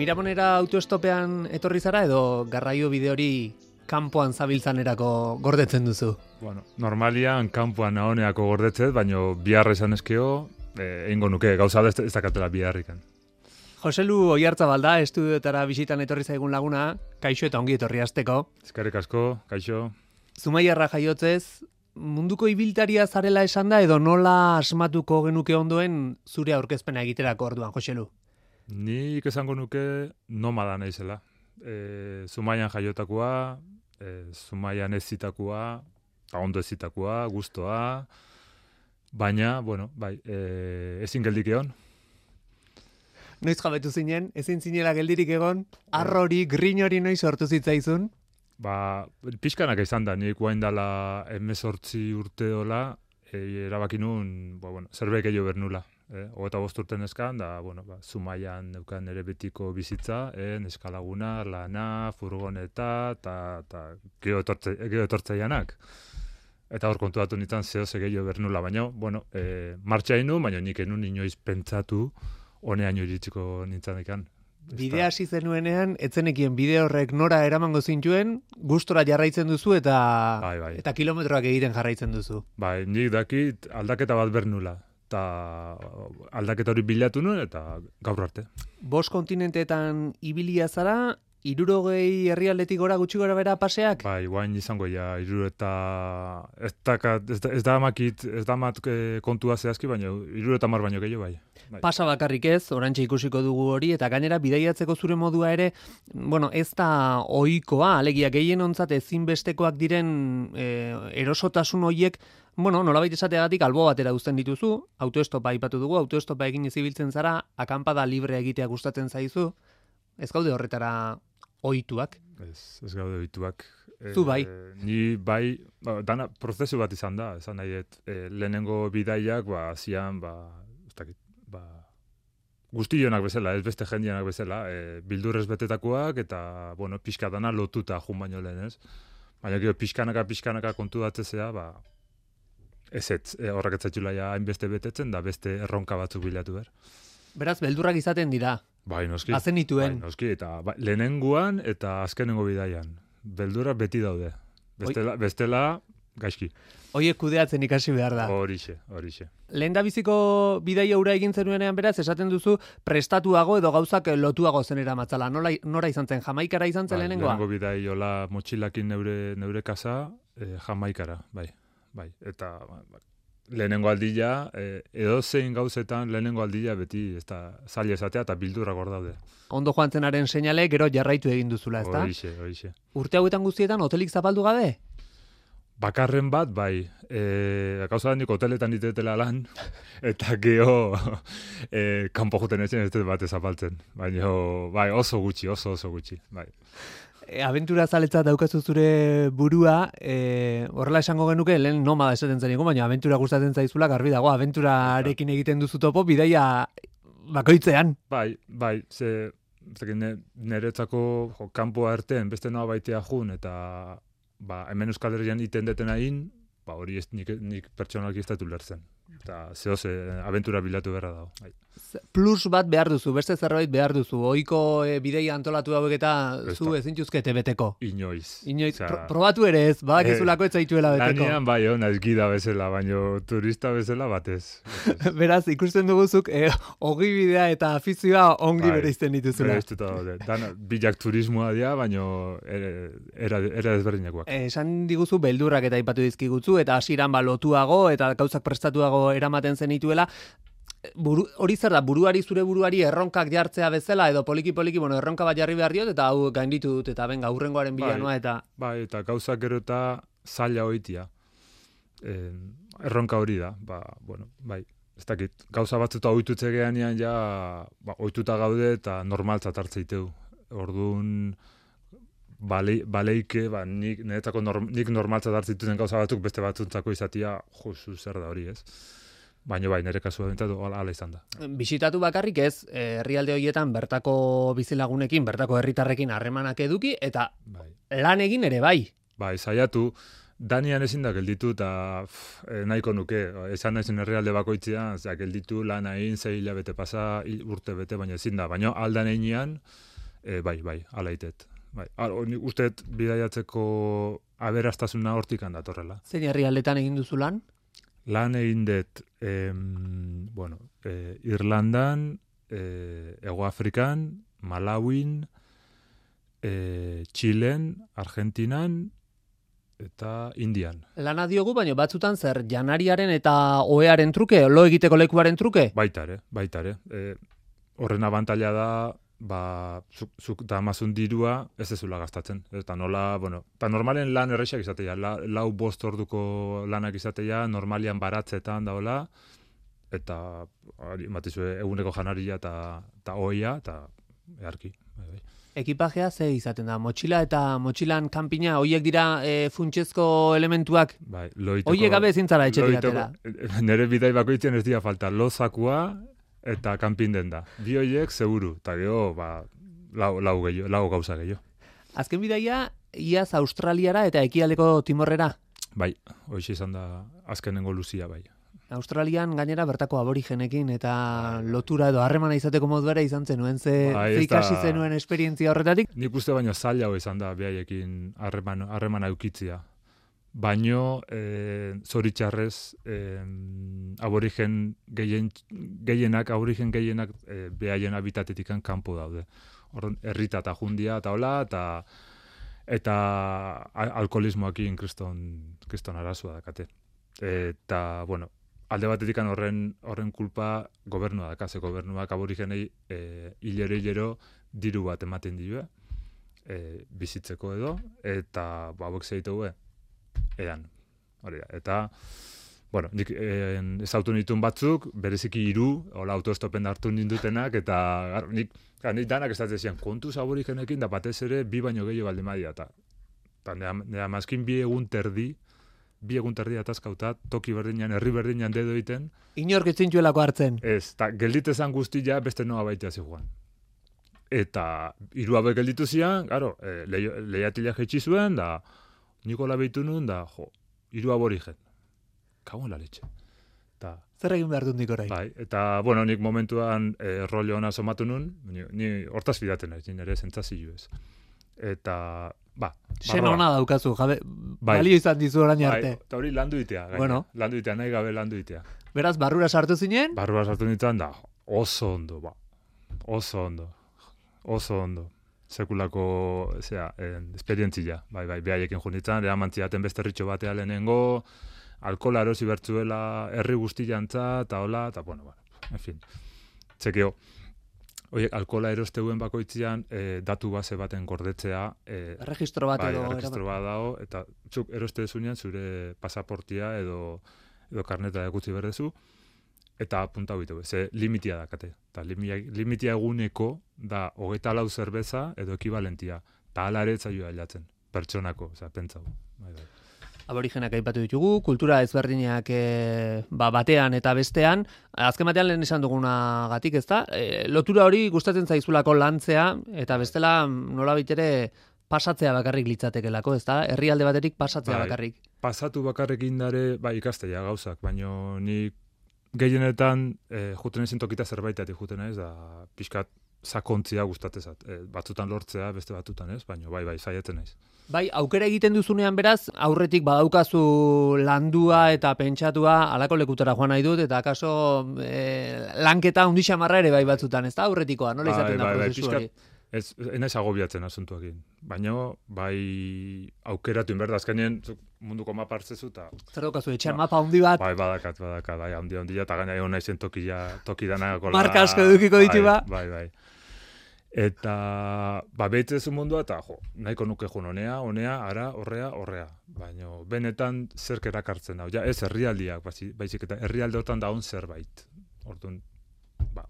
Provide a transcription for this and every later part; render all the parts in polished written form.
Miramonera autoestopean etorri zara edo garraio bide hori kanpoan zabiltzanerako gordetzen duzu? Bueno, normalian kanpoan nahoneako gordetzet, baino biharra izan eskio, egingo nuke, gauza ez dakatela biharrikan. Joselu Oiartzabal da, estudioetara bisitan etorri zaigun laguna, kaixo eta ongi etorri hasteko. Eskerrik asko, kaixo. Zumaiarra jaiotzez, munduko ibiltaria zarela esan da edo nola asmatuko genuke ondoen zure aurkezpena egiterako orduan, Joselu? Nik esango nuke nomada naizela. Zumaian jaiotakoa, Zumaian ezitakoa, ondo ezitakoa, gustoa, baina, bueno, bai, ezin geldik egon. Noiz jabetu zinen, ezin zinela geldirik egon, arrori, grin hori noiz sortu zitzaizun? Pixkanak izan da, nik guain dela 18 urte dola, erabaki nun, zerbait gehiago bernula. 25 urte neskan, da, Zumaian neukan ere betiko bizitza, neskalaguna, lana, furgoneta, eta geho etortzaianak. Eta hor kontuatu nintzen zehose gehiago bernula, baina, martxa inu, baina nik enun inoiz pentsatu, honeaino iritsiko nintzen ikan. Bidea hasi zenuenean, etzenekien bide horrek nora eramango zintuen, gustora jarraitzen duzu eta bai. Eta kilometroak egiten jarraitzen duzu. Bai, nik dakit aldaketa bat bernula. Eta aldaketa hori bilatu nuen, eta gaur arte. 5 kontinenteetan ibilia zara, 60 herrialdetik gora gutxi gora bera paseak? Bai, guain izango ja, 60 ez da amat kontua zehazki, baina 60 baino gehiago bai. Pasa bakarrik ez, orantxe ikusiko dugu hori, eta gainera bidaiatzeko zure modua ere, ez da ohikoa, alegia gehienontzat ezinbestekoak diren erosotasun horiek, nolabait esateagatik albo batera uzten dituzu, autoestopa aipatu dugu, autoestopa egin ibiltzen zara, akanpada libre egitea gustatzen zaizu, ez gaude horretara ohituak? Ez gaude ohituak. Zu bai? Ni bai, dana prozesu bat izan da, esan nahi, lehenengo bidaiak, zian, guztionak bezala, ez beste jendianak bezala, bildurrez betetakoak, eta, pixka dana lotuta jun baino lehen, ez? Baina gero pixkanaka kontu datzezea, ez horrek etzaitula ja hainbeste betetzen, da beste erronka batzuk bilatu behar. Beraz, beldurrak izaten dira. Bai, noski. Hazen nituen. Bai, noski, eta lehenenguan eta azkenengo bidaian. Beldurrak beti daude. Bestela, gaizki. Hoiek kudeatzen ikasi behar da. Horixe. Lehendabiziko bidaia hura egin zenuenean beraz, esaten duzu prestatuago edo gauzak lotuago zenera matzala. Nora izan zen? Jamaikara izan zen lehenengoa? Lehenengo bidai hola motxilakin neure kasa, Jamaikara, bai. Eta lehenengo aldila, edo zein gauzetan lehenengo aldila beti zaila esatea eta bildurrak hor daude. Ondo joan zenaren seinale, gero jarraitu egin duzula, ezta? Horixe. Urte hauetan guztietan hotelik zapaldu gabe? Bakarren bat, bai. Gauza da nik hoteletan ditetela lan, eta geho kanpo juten etxen ez dut bat zapaltzen. Baina, bai, oso gutxi, bai. Abentura zaletzat daukazu zure burua, horrela esango genuke, lehen nomada esaten zeniko, baina abentura gustatzen zaizula, garbi dago, abenturarekin egiten duzu topo, bidaia bakoitzean. Bai, niretzako kanpoa erten, beste noa baitea jun, eta hemen Euskal Herrian iten detena in, hori nik pertsonalki ez dut ulertzen. Eta zehose, abentura bilatu beharra dago. Bai. Plus bat behar duzu, beste zerbait behar duzu. Ohiko bideia antolatu hauek eta zu ezintuzkete beteko. Inoiz. Probatu ere ez, badakizulako ez zaituela beteko. Lanean bai naiz gida bezala, baino turista bezala batez. Beraz, ikusten duguzuk, ogi bidea eta afizioa ongi bereizten dituzula. Bereiztuta daude. Bilak turismoa dira, baino era ezberdinakoak. Esan diguzu beldurrak eta aipatu dizkigutzu, eta hasieran lotuago, eta gauzak prestatuago eramaten zenituela. Hori zer da, zure buruari erronkak jartzea bezala, edo poliki, erronka bat jarri behar diot, eta hau gainditu dut, eta benga, hurrengoaren bila noa, eta... Bai, eta gauzak gero eta zaila hoitia. Erronka hori da, bai. Ez dakit, gauza batzuta ohitutze geanean ja, ohituta gaude eta normaltzat hartzeiteu. Orduan, baleike, nik normaltzat hartzeituten gauza batzuk beste batzuntzako izatia, zer da hori ez. Baina bai, nire kasua bentatu ala izan da. Bisitatu bakarrik ez, herrialde horietan bertako bizilagunekin, bertako herritarrekin harremanak eduki, eta lan egin ere bai. Bai, saiatu, Danian ezin da gelditu, eta nahiko nuke, esan naizen herrialde bakoitzean, gelditu lan egin, 6 hilabete pasa, urte bete, baina ezin da. Baina aldan einean, Bai, alaitet. Bai. Nik usteet bidaiatzeko aberastasuna hortik handatorrela. Zein herrialdetan egin duzu lan? Lan egin dut, Irlandan, Hego Afrikan, Malawin, Txilen, Argentinan, eta Indian. Lana diogu, baina batzutan zer, janariaren eta ohearen truke, lo egiteko lekuaren truke? Baita ere. Horren abantaila da, zuk damazun dirua ez ezula gastatzen. Eta nola, eta normalen lan errexak izatea, 4-5 orduko lanak izatea, normalian baratzetan daola, eta matizue eguneko janaria eta oia, eta eharki. Ekipajea ze izaten da? Motxila eta motxilan kanpina, hoiek dira funtsezko elementuak? Bai, hoiek gabe ezin zara etxetik atera. Nere bidai bakoitzen ez dira falta, lozakua eta kanpin denda. Bi hoiek seguru, eta gero, lau gauza gehiago. Azken bidaia, iaz Australiara eta ekialdeko Timorrera? Bai, hoixe izan da azkenengo luzia, bai. Australian gainera bertako aborigenekin eta lotura edo harremana izateko moduera izan zenuen, ze ikasi zenuen esperientzia horretatik? Nik uste baino zaila izan da behaiekin harremana eukitzia. Baino, zoritxarrez, aborigen gehienak behaien habitatetik kanpo daude. Horren, herrita eta jundia eta hola, eta alkoholismoakin kriston arazua dakate. Eta, alde batetik horren kulpa gobernua daka, ze gobernuak aborigenei hilero diru bat ematen dio, bizitzeko edo, eta hauek zeitu edan. Eta, nik ezautu nituen batzuk, bereziki 3, hola autoestopen hartu nindutenak, eta nik danak ez zian, kontuz aborigenekin da batez ere 2 baino gehiago baldin badia, eta nire amazkin 2 egun terdi atazkauta, toki berdinean, herri berdinean dedo egiten. Inork etzintxuelako hartzen. Ez, eta gelditezan guztia beste noa baitea zijuan. Eta 3 abek gelditu zian, lehiatila jetxi zuen, da Nikola behitu nun, da 3 aborigen. Kauen la letxe. Zer egin behar dut nik orai? Bai, eta, nik momentuan rollo hona somatu nun, ni hortaz fidaten naiz, nire zentzazio ez. Eta, Sena hona daukazu, balio izan dizu orain arte. Eta hori landu itea, landu itea, nahi gabe landu itea. Beraz, barrura sartu zinen? Barrura sartu nintzen, da, oso ondo. Sekulako, esperientzia, behaiekin junitzen, eraman beste ritxo batea lehenengo, alkola erosi bertzuela herri guztiantza, eta hola, eta en fin. Txekeo, oiek, alkola erosteuen bakoitzean datu base baten gordetzea. Registro bat edo. Registro bat dago, eta zuk eroste zunean zure pasaportia edo karneta egutzi berdezu, eta punta bitu, ze limitia dakate. Eta limitia eguneko da 24 zerbeza edo ekibalentia. Eta ala ere etzaioa hilatzen, pertsonako, pentsau. Aborigenak aipatu ditugu, kultura ezberdinak batean eta bestean, azken batean lehen esan dugunagatik, ezta? Lotura hori gustatzen zaizulako lantzea, eta bestela nola baitere pasatzea bakarrik litzatekelako, ezta? Herrialde baterik pasatzea bakarrik. Pasatu bakarrik indare, ikastea gauzak, baino nik gehienetan juten ezin tokita zerbaitatik juten ez, da pixkat sakontzia gustatezat. Batzutan lortzea, beste batzutan ez, baino saiatzen naiz. Aukera egiten duzunean beraz, aurretik badaukazu landua eta pentsatua alako lekutara joan nahi dut, eta akaso lanketa hundixamarra ere batzutan, ez da aurretikoa, nola izaten da prozesu hori? Ez naiz agobiatzen asuntuakin, baina aukeratu inberda, azkenien munduko mapa hartzezu eta... Zer daukazu, etxean mapa handi bat? Badakat, handi, eta gaina egon naizen toki danako... Marka asko edukiko ditu ba? Bai. Eta, behitzezu mundua, eta nahiko nuke jun honea, ara, horrea. Baina, benetan zerk erakartzen hau. Ez herrialdiak, baizik eta herrialdeotan daun zerbait. Orduan,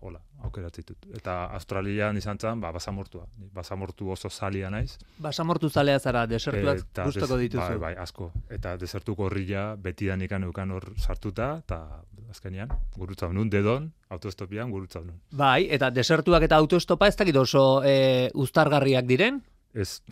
hola, aukeratzitut. Eta Australian izan zen, basamortua. Basamortu oso zalia naiz. Basamortu zalea zara, desertuak gustoko dituzu. Bai, asko. Eta desertuko horria betidan ikan eukan hor sartuta, eta azkenean, gurutzau nun, dedon, autoestopian gurutzau nun. Bai, eta desertuak eta autoestopa ez dakit oso uztargarriak diren? Ez,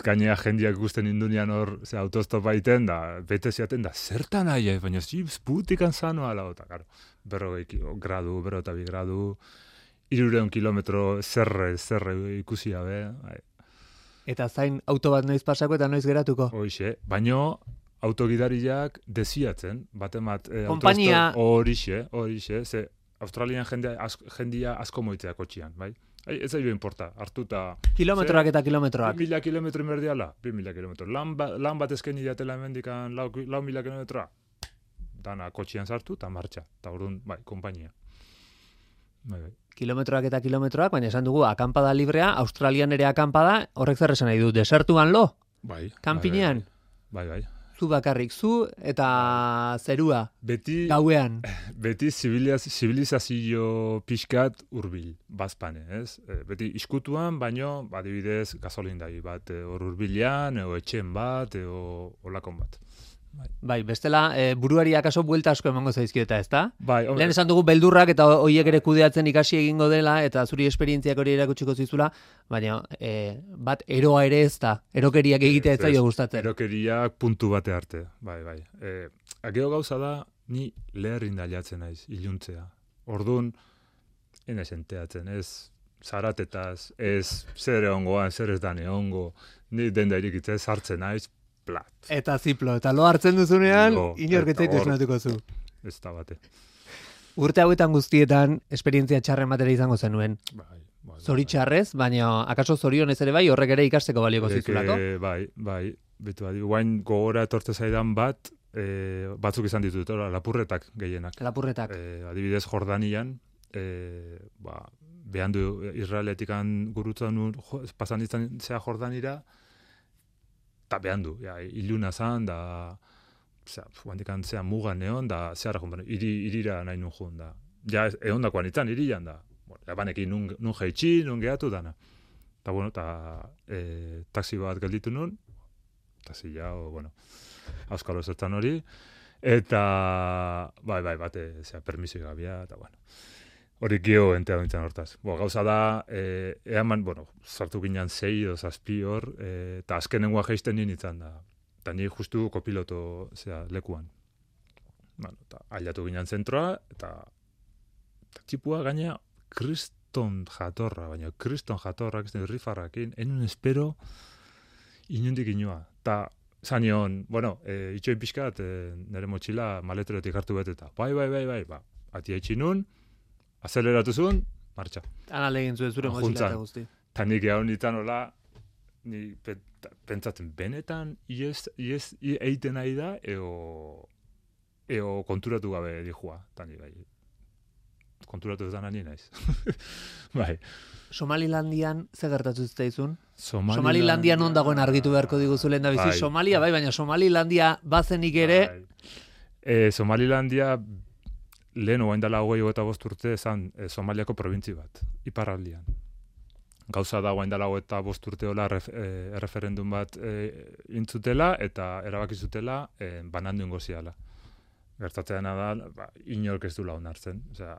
gainea jendiak ikusten indunean hor autoestopa iten, da, bete ziaten, da, zertan aia, baina ziputikan zanoa lau, eta, karo, 40 gradu, 42 gradu, 300 kilometro zerre ikusia be. Bai. Eta zain auto bat noiz pasako eta noiz geratuko. Hoixe, baino autogidariak desiatzen, batemat Kompainia horixe, ze Australian jendia asko moitzea kotxian, bai? Ez zailo importa, hartuta... Kilometroak eta kilometroak. 2.000 kilometro inberdiala, 2.000 kilometro. Lan bat eskeni diatela hemendikan 4.000 kilometroa, dana kotxian sartu eta martxa. Eta orduan, bai, kompainia. Bai. Kilometroak eta kilometroak, baina esan dugu, akampada librea, Australian ere akampada, horrek zer esan nahi du, desertuan lo? Bai. Kampinean? Bai. Zu bakarrik, zu eta zerua, gauean. Beti zibilizazio pixkat urbil, bazpane, ez? Beti iskutuan, baino, adibidez, gasolindai bat, hor urbilean, eo etxen bat, eo olakon bat. Bai, bestela, buruari akaso buelta asko emango zaizkieta, ezta? Bai, lehen esan dugu beldurrak eta hoiek ere kudeatzen ikasi egingo dela, eta zuri esperientziak hori erakutsiko zizula, baina bat eroa ere ez da, erokeriak egitea ez zaio gustatzen. Erokeriak puntu bate arte, bai. Ageo gauza da, ni leherrin daliatzen naiz, iluntzea. Orduan, enaiz enteatzen, ez zaratetaz, ez zer egongoan, zer ez dane ongo, ni denda irikitzez hartzen naiz, plat. Eta ziplo, eta lo hartzen duzunean, inorketzaitu esnatuko zu. Ez da bate. Urte hauetan guztietan, esperientzia txarren batera izango zenuen. Bai. Zoritxarrez, baina akaso zorionez ere bai, horrek ere ikasteko balioko zizulako? Bai. Betu adi, guain gogora etortze zaidan bat, batzuk izan ditut, lapurretak gehienak. Lapurretak. Adibidez, Jordanian, behan du Israeletikan gurutzen pasan izan zea Jordanira, eta behan du, iluna zan, da, guandikan zea mugan egon, da, zehara jun, irira nahi nun jun, da. Ja, egon dakoan itzan, irian, da. Banekin nun jaitsi, nun gehatu dana. Eta, taxi bat gelditu nun, taxi auskalo zertan hori, eta, bai, bate, permisio gabia, eta, hori geho entea bintzen hortaz. Gauza da, eaman, sartu ginen 6 edo 7 hor, eta azkenengoa geisten nintzen da. Eta ni justu kopiloto lekuan. Eta ailatu ginen zentroa, eta txipua gaina kriston jatorra, baina kriston jatorra, rifarrakin, enun espero inundik inua. Eta zanion, itxoin pixkat, nire motxila maleterotik hartu beteta. Bai, atia itxinun, azeleratu zuen, martxa. Ana legin zuen zure motxila eta guzti. Ta nik egon ditan hola, ni pentsatzen, benetan ies eiten nahi da, eo konturatu gabe dijua. Ta ni bai, konturatu ez dana ni naiz. Bai. Somalilandian ze gertatu zitzaizun? Somalilandian non dagoen argitu beharko diguzu lehen da bizi. Bai. Somalia, baina Somalilandia bazenik ere... Somalilandia lehen oain dela 25 urte ezan Somaliako probintzi bat, iparraldian. Gauza da oain dela 25 urte hola referendum bat intzutela eta erabakizutela banandu ingo ziala. Gertatzeana da, inork ez dula onartzen. Osea,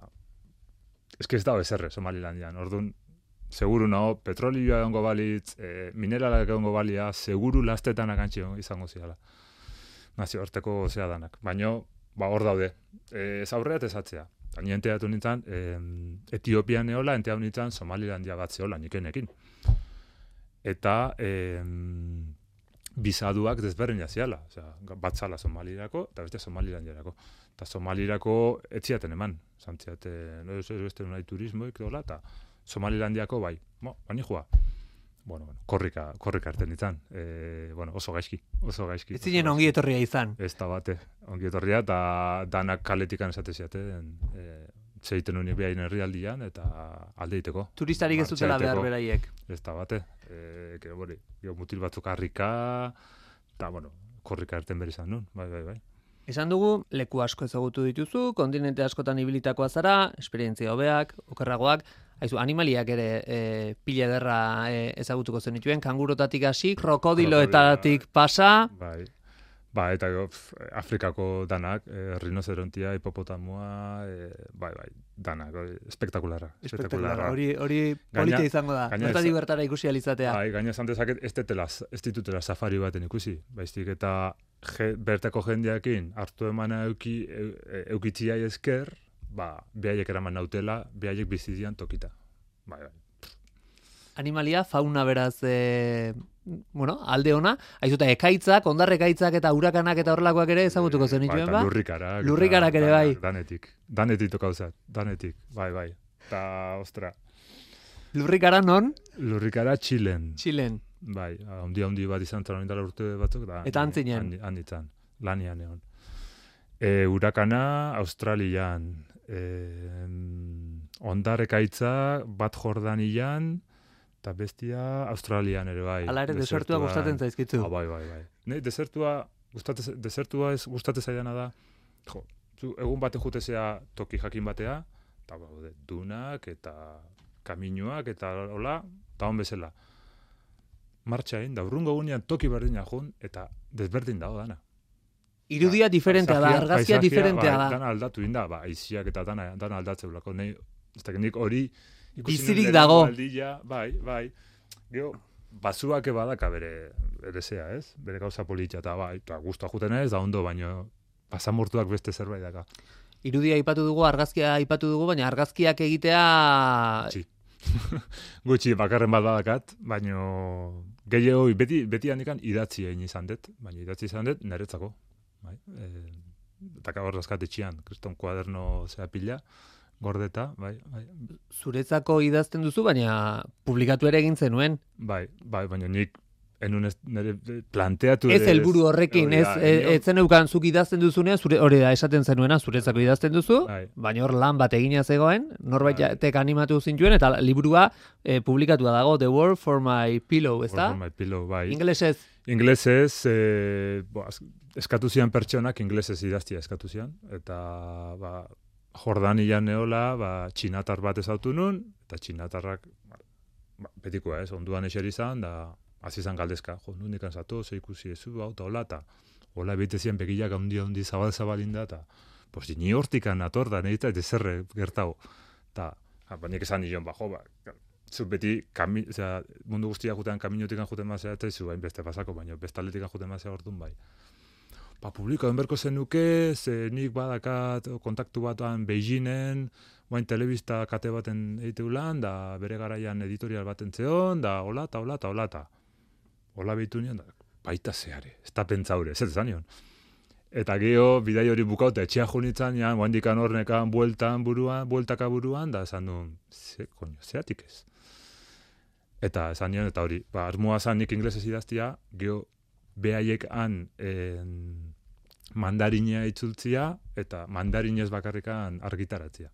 ez da bezerre Somalilandian. Orduan, seguru nago, petrolioa egongo balitz, mineralak egongo balia, seguru lastetan akantzi izango ziala. Nazio arteko zea danak. Baina, hor daude. Ez aurreat ez atzea. Ni enteatu nintzen, Etiopian eola, enteatu nintzen Somalilandia bat zeola, nikenekin. Eta bizaduak desberdin jaziala. Bat zala Somalirako, eta beste Somalilandiarako. Eta Somalirako etziaten eman. Zantziate, no ez nahi turismoik dola, eta Somalilandiako bai. Bani joa. Korrika arten ditzan. Oso gaizki. Ez zinen ongi etorria izan. Ez da bate. Ongi etorria, eta danak kaletikan esate ziaten, zeiten unik behain herrialdian, eta alde iteko. Turistarik ez dutela behar beraiek. Ez da bate. Mutil batzuk harrika, eta, korrika arten behar izan nun. Bai. Esan dugu, leku asko ezagutu dituzu, kontinente askotan ibilitakoa zara, esperientzia hobeak, okerragoak, haizu, animaliak ere pila ederra ezagutuko zenituen, kangurotatik hasi, krokodiloetatik pasa. Bai, eta Afrikako danak, rinocerontia, hipopotamoa, danak, espektakularra. Hori polita izango da, bertatik bertara ikusi alizatea. Bai, gaina esan dezaket, ez ditutela safari baten ikusi, baiztik eta bertako jendeakin hartu emana eukitziai esker, behaiek eraman nautela, behaiek bizidian tokita. Bai. Animalia, fauna beraz, alde ona, aizuta ekaitzak, ondarrekaitzak eta urakanak eta horrelakoak ere ezagutuko zenituen, ba? Lurrikarak ere, bai. Danetik tokauzat, danetik, bai. Eta, ostra. Lurrikara non? Lurrikara Txilen. Bai, handi bat izan zara indala urte batzuk. Eta antzinen? Handitzan, lanian egon. Urakana Australian, ondarrekaitza bat Jordanian, eta bestia Australian ere bai. Hala ere, desertua gustatzen zaizkitzu. Bai. Ne, desertua ez gustatzen zaidana da, egun baten jutezea toki jakin batea, eta dunak eta kaminuak eta hola, eta hon bezala. Martxain, da urrungo gunean toki berdina jun, eta desberdin dago dana. Irudia diferentea da, argazkia diferentea da. Dana aldatu inda, aiziak eta dana aldatzeulako. Nik hori bizirik dago. Bai. Gero, basuak badaka bere zea, ez? Bere gauza politxa, eta guztua juten ez, da ondo, baino pasamortuak beste zerbait daka. Irudia aipatu dugu, argazkia aipatu dugu, baina argazkiak egitea... Gutxi bakarren bat badakat, baino gehiago beti handikan idatzi egin izan dut, baina idatzi izan dut niretzako. Bai? Eta hor dazkat etxian, kriston kuaderno zea pila, gordeta, bai. Zuretzako idazten duzu, baina publikatu ere egin zenuen. Bai, baina nik nire planteatu... Ez helburu horrekin, ez zen eukan zuk idazten duzunean, hori da esaten zenuena, zuretzako idazten duzu, baina hor lan bat egina zegoen, norbaitek animatu zintuen, eta liburua publikatua dago, The World for My Pillow, ez da? For My Pillow, bai. Inglesez? Inglesez, eskatu zian pertsonak, inglesez idaztia eskatu zian, eta Jordanian neola, txinatar bat ezautu nun, eta txinatarrak, betikoa ez, onduan eseri izan, da hasi izan galdezka, nundik anzatu, ikusi ezu, eta hola bete zian begilak handi zabal-zabalinda, eta ni hortikan ator da, nahi eta zerre gertago. Eta, baina esan nion, zu beti, mundu guztia jutean kaminotikan juten mazea, eta izu bain beste pasako, baina bestaletikan juten mazea orduan bai. Publiko enberko zenuke, nik badakat kontaktu batuan Beijingen, guain telebista kate baten egiteulan, da bere garaian editorial baten zeon, da hola. Hola behitu nion, baita zeare, ez da pentsaure, ez zan nion. Eta geho, bidai hori bukauta, etxea junitzen, guain dikan hornekan bueltaka buruan, da esan duen, zeatik ez. Eta esan nion, eta hori, asmoa zan nik inglesez idaztia, geho, behaiek han mandarinea itzultzia, eta mandarinez bakarrikan argitaratzia.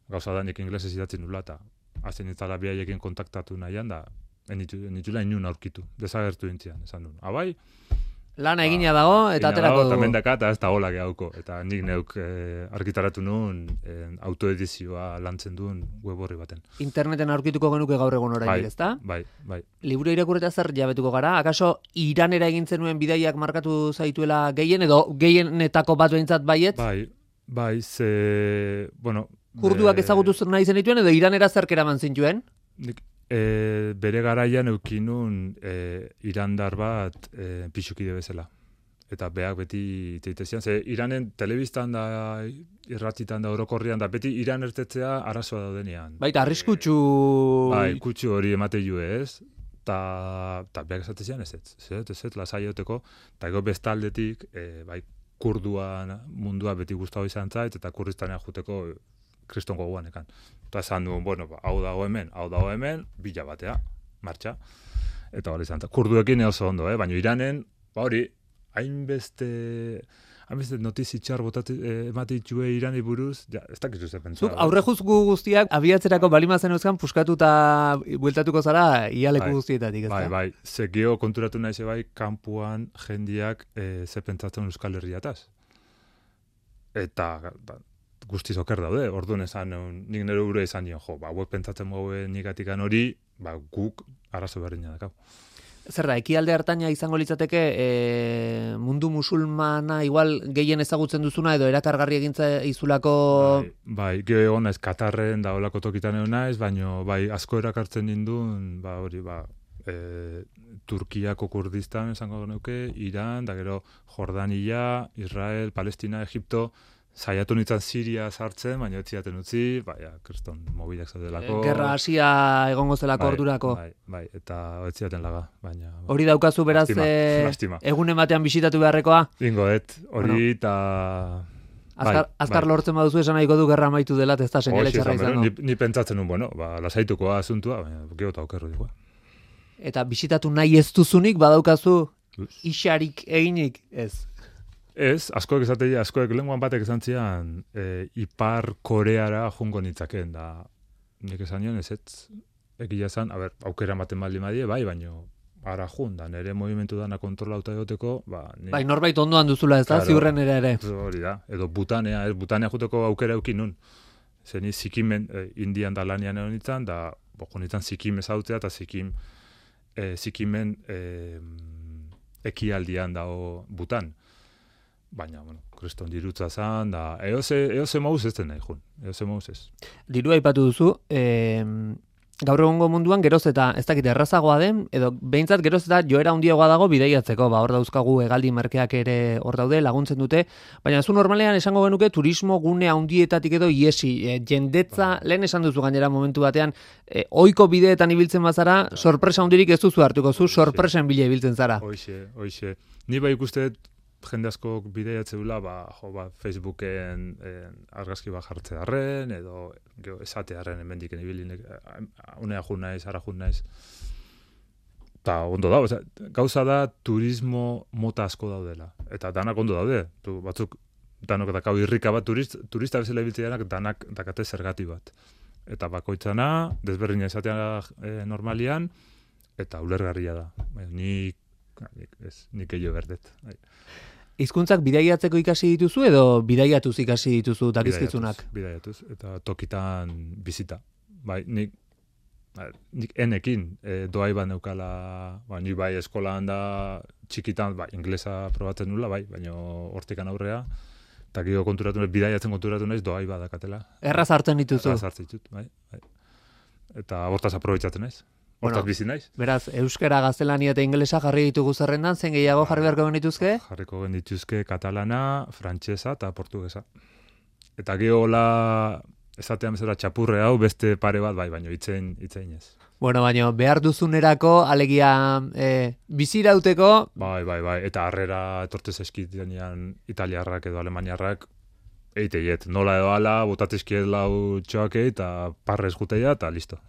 Gauza da nik inglesez idatzen nula, eta hazen itzala behaiekin kontaktatu nahian, da enitula inun aurkitu, desagertu dintzian, esan duen. Abai? Lana egina dago, eta aterako dugu. Eta mendaka, eta ez da hola gehauko. Eta nik neuk argitaratu nuen autoedizioa lantzen duen web horri baten. Interneten aurkituko genuke gaur egun oraindik, ezta? Bai. Liburu irakurreta zer jabetuko gara? Akaso Iranera egin zenuen bidaiak markatu zaituela gehien, edo gehienetako bat behintzat baiet? Bai, Kurduak ezagutu nahi zenituen, edo Iranera zerk eraman zintuen? Bere garaian eukinun irandar bat pixukide bezala. Eta beak beti teitezian. Iranen telebistan da, irratitan da, orokorrian da, beti Iran ertetzea arazoa daudenean. Baita, arriskutsu... Kutsu hori emate ju ez. Eta beak esatezian ez, lasaioteko. Eta ego bestaldetik, kurduan mundua beti guztau izan zait, eta kurdistanea juteko kriston goguanekan. Eta esan duen, hau dago hemen, bila batea, martxa. Eta hori izan, kurduekin oso ondo, baina Iranen, hori, hainbeste notizi txar emate ditue Irani buruz, ez dakizu zer pentsa. Zuk aurre juzgu guztiak abiatzerako balimazen euskan puskatuta bueltatuko zara ialeku guztietatik, ez da? Bai, zekio konturatu nahi zebai, kanpuan jendiak ze pentsatzen Euskal Herriataz. Eta guztiz oker daude, orduan esan, nik nire ure izan nion, hauek pentsatzen gaue nikatikan hori, guk arazo berdina dakau. Zer da, ekialde hartaina izango litzateke mundu musulmana igual gehien ezagutzen duzuna edo erakargarri egintza izulako... Bai, geho egon naiz, Katarren da olako tokitan egon naiz, baina asko erakartzen nindun, Turkiako Kurdistan esango genuke, Iran, da gero Jordania, Israel, Palestina, Egipto, saiatu nintzen Siria sartzen, baina ez ziaten utzi, kriston mobilak zaudelako. Gerra hasia egongo zelako ordurako. Bai, eta ez ziaten laga, baina... Hori daukazu beraz, lastima. Egunen batean bisitatu beharrekoa? Hori eta... Azkar lortzen baduzu esan nahiko du gerra amaitu dela, ez da seinale txarra izango. Ni pentsatzen nun, lasaituko asuntua, baina geota okerru dugu. Eta bisitatu nahi ez duzunik, badaukazu isarik eginik, ez? Ez, askoek lenguan batek esan zian, Ipar Koreara jungo nitzakeen, da nik esan nion ez, egia esan, aukera ematen baldin badie, baino ara jun, da nere movimentu dana kontrolauta egoteko, Bai, norbait ondoan duzula ez da, ziurren ere. Hori da, edo Butanea juteko aukera eukin nun. Zeni Sikimen, Indian da lanian egon nintzen, da jonitzen Sikim ezautzea, eta Sikimen ekialdian dago Butan. Baina, kriston dirutza zan, da, eoze mauz ez den nahi, eoze mauz ez. Dirua aipatu duzu, gaur egongo munduan geroz eta ez dakit errazagoa den, edo behintzat geroz eta joera handiagoa dago bidaiatzeko, hor dauzkagu hegaldi merkeak ere hor daude, laguntzen dute, baina zu normalean esango genuke turismo gune handietatik edo iesi, jendetza, lehen esan duzu gainera momentu batean, ohiko bideetan ibiltzen bazara, sorpresa handirik ez duzu hartuko, zu sorpresen bila ibiltzen zara. Hoxe. Ni ikuste jende asko bideiatzeula, Facebooken argazki jartze harren, edo esate harren hemendiken ibilinek, unea jun naiz, ara jun naiz. Ta ondo da, gauza da turismo mota asko daudela. Eta danak ondo daude. Batzuk danok dakau irrika bat turista bezala ibiltzeanak danak dakate zergati bat. Eta bakoitzana, desberdina esatea normalian, eta ulergarria da. Nik eio berdet. Hizkuntzak bidaiatzeko ikasi dituzu edo bidaiatuz ikasi dituzu dakizkizunak? Bidaiatuz, eta tokitan bizita. Nik enekin doai bat neukala, ni bai eskolan da txikitan, inglesa probatzen nula, baina hortikan aurrea, eta gero bidaiatzen konturatu naiz doai bat dakatela. Erraz hartzen dituzu? Erraz hartzen ditut, bai. Eta hortaz aprobetxatzen naiz. Hortaz bizi naiz. Beraz, euskara, gaztelania eta ingelesa jarri ditugu zerrendan, zen gehiago jarri beharko genituzke? Jarriko genituzke katalana, frantsesa eta portugesa. Eta gehola esatean bezala txapurre hau beste pare bat baino itzein ez. Bueno, baina behar duzunerako, alegia bizirauteko... Bai, eta harrera etortez eskitenean italiarrak edo alemaniarrak eiteiet, nola edo ala, botatezkiet lau txoake eta parrez juteia eta listo.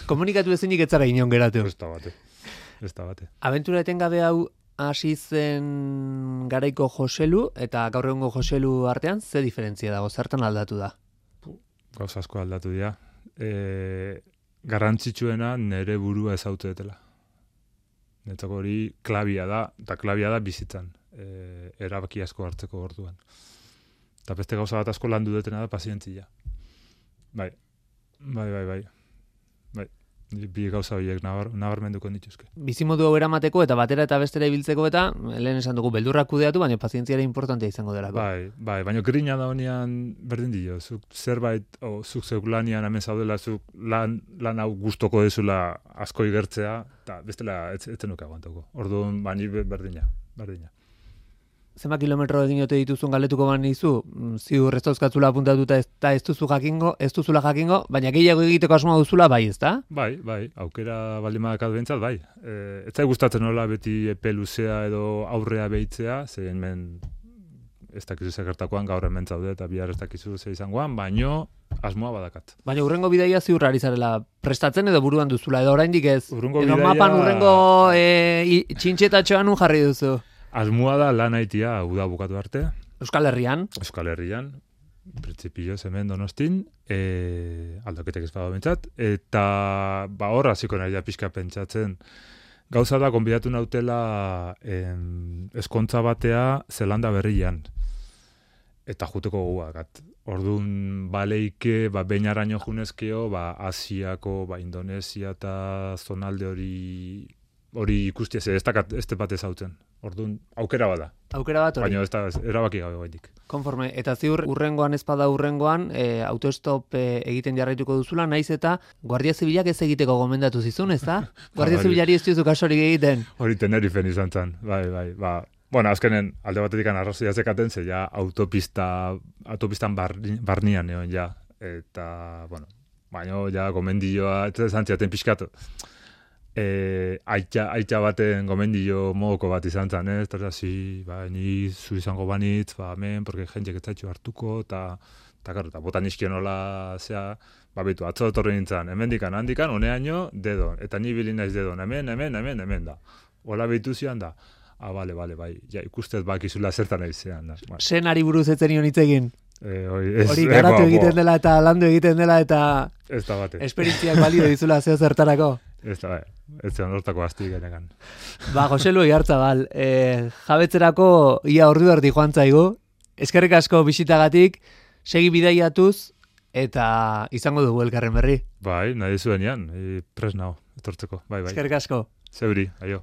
Komunikatu ezinik etzara inon geratu. Ez da bate. Abentura etengabe hau hasi zen garaiko Joselu eta gaur egungo Joselu artean, ze diferentzia dago, zertan aldatu da? Gauza asko aldatu dira. Garrantzitsuena nere burua ezautetela. Netzako hori klabia da bizitzan. Erabaki asko hartzeko orduan. Eta beste gauza bat asko landu detena da pazientzia. Bai. Bi gauza horiek nabarmenduko nituzke. Bizimodu hau eramateko eta batera eta bestera ibiltzeko eta lehen esan dugu beldurrak kudeatu, baina pazientziara importantea izango delako. Bai, baina grina da honean berdin dio. Zuk zerbait, zuk zeuk lanian hemen zaudela, zuk lan hau gustoko dezula asko igertzea, eta bestela etzen nuke aguantako. Orduan, bani berdina. Zenbat kilometro egin ote dituzun galetuko banizu, ziur ez dauzkatzula apuntatuta eta ez duzula jakingo, baina gehiago egiteko asmoa duzula bai, ez da? Bai, aukera baldin badakat behintzat, bai. Ez zai gustatzen nola beti epe luzea edo aurrea behitzea, zein men ez dakizu zekertakoan gaur hemen zaude eta bihar ez dakizu ze izangoan, baino asmoa badakat. Baina urrengo bidaia ziur ari zarela prestatzen edo buruan duzula, edo oraindik ez? Edo mapan urrengo txintxetatxoan nun jarri duzu? Asmoa da lan haitia uda bukatu arte. Euskal Herrian, printzipioz hemen Donostin, aldaketek ez badago bentsat, eta hor hasiko nahi da pixka pentsatzen. Gauza da, konbidatu nautela eskontza batea Zelanda Berrian. Eta juteko gogoakat. Orduan baleike, behin araño junezkeo, Asiako, Indonesia eta zonalde hori ikustia, ez bat ezautzen. Orduan, aukera bada. Aukera bat hori. Baina ez da erabaki gabe baitik. Konforme, eta ziur urrengoan ezpada urrengoan, autostop egiten jarraituko duzula, naiz eta Guardia Zibilak ez egiteko gomendatu zizun, ez da? Guardia Zibilari ez duzu kasorik egiten. Hori Tenerifen izan zen, bai. Bueno, azkenen alde batetik arrazoia zekaten, ze ja autopistan barnian egon ja. Eta, bueno, baina ja gomendioa, ez zantziaten pixkatu. Aitza baten gomendio mogoko bat izan zen, ez? Eta zi, ni zu izango banitz, hemen, porque jentzek etzaitxo hartuko, eta botan izkionola, betu, atzo etorri nintzen, handikan, honeaino, dedon, eta ni bilin naiz dedon, hemen, da. Ola behitu zian da, bale, bai, ja, ikustez bakizula zertan aizean, da. Senari buruz etzen nion hitz egin. Hori garatu egiten dela eta landu egiten dela eta ez da bate. Esperientziak balio dizula zeo zertarako. Ez da, ez zean hortako azti genekan. Joselu Igartzabal, jabetzerako ia ordu erdi joan zaigu. Eskerrik asko bisitagatik, segi bidaiatuz eta izango dugu elkarren berri. Bai, nahi zuenean, pres nao, etortzeko, bai. Eskerrik asko. Zeuri, aio.